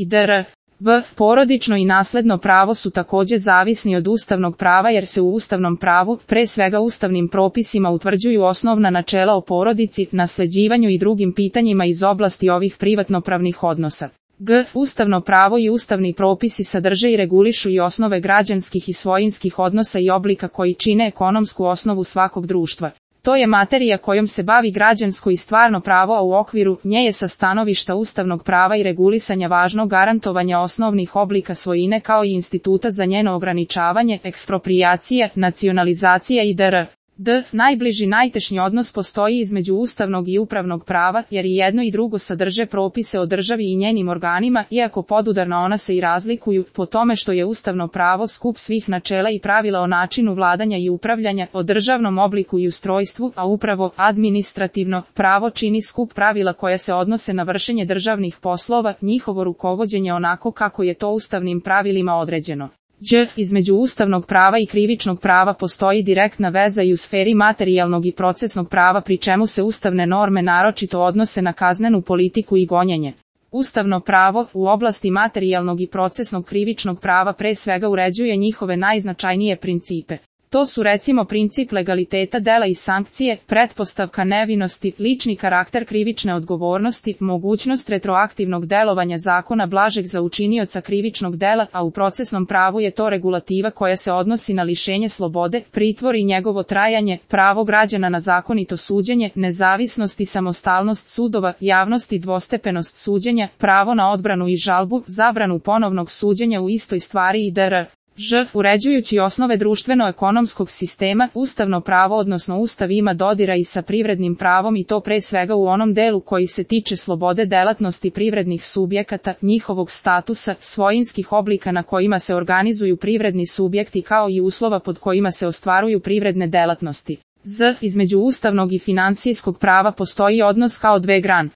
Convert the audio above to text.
i dr. V. Porodično i nasledno pravo su takođe zavisni od ustavnog prava jer se u ustavnom pravu, pre svega ustavnim propisima utvrđuju osnovna načela o porodici, nasleđivanju i drugim pitanjima iz oblasti ovih privatnopravnih odnosa. G. Ustavno pravo i ustavni propisi sadrže i regulišu i osnove građanskih i svojinskih odnosa i oblika koji čine ekonomsku osnovu svakog društva. To je materija kojom se bavi građansko i stvarno pravo, a u okviru nje je sa stanovišta ustavnog prava i regulisanja važno garantovanja osnovnih oblika svojine kao i instituta za njeno ograničavanje, eksproprijacije, nacionalizacija i dr. D. Najbliži najtešnji odnos postoji između ustavnog i upravnog prava, jer i jedno i drugo sadrže propise o državi i njenim organima, iako podudarno ona se i razlikuju, po tome što je ustavno pravo skup svih načela i pravila o načinu vladanja i upravljanja, o državnom obliku i ustrojstvu, a upravo administrativno pravo čini skup pravila koja se odnose na vršenje državnih poslova, njihovo rukovođenje onako kako je to ustavnim pravilima određeno. Đ. Između ustavnog prava i krivičnog prava postoji direktna veza i u sferi materijalnog i procesnog prava, pri čemu se ustavne norme naročito odnose na kaznenu politiku i gonjenje. Ustavno pravo u oblasti materijalnog i procesnog krivičnog prava pre svega uređuje njihove najznačajnije principe. To su recimo princip legaliteta dela i sankcije, pretpostavka nevinosti, lični karakter krivične odgovornosti, mogućnost retroaktivnog delovanja zakona blažeg za učinioca krivičnog dela, a u procesnom pravu je to regulativa koja se odnosi na lišenje slobode, pritvor i njegovo trajanje, pravo građana na zakonito suđenje, nezavisnost i samostalnost sudova, javnost i dvostepenost suđenja, pravo na odbranu i žalbu, zabranu ponovnog suđenja u istoj stvari i dr. Ž. Uređujući osnove društveno-ekonomskog sistema, ustavno pravo odnosno Ustav ima dodira i sa privrednim pravom i to pre svega u onom delu koji se tiče slobode delatnosti privrednih subjekata, njihovog statusa, svojinskih oblika na kojima se organizuju privredni subjekti kao i uslova pod kojima se ostvaruju privredne delatnosti. Z. Između ustavnog i finansijskog prava postoji odnos kao dve grane.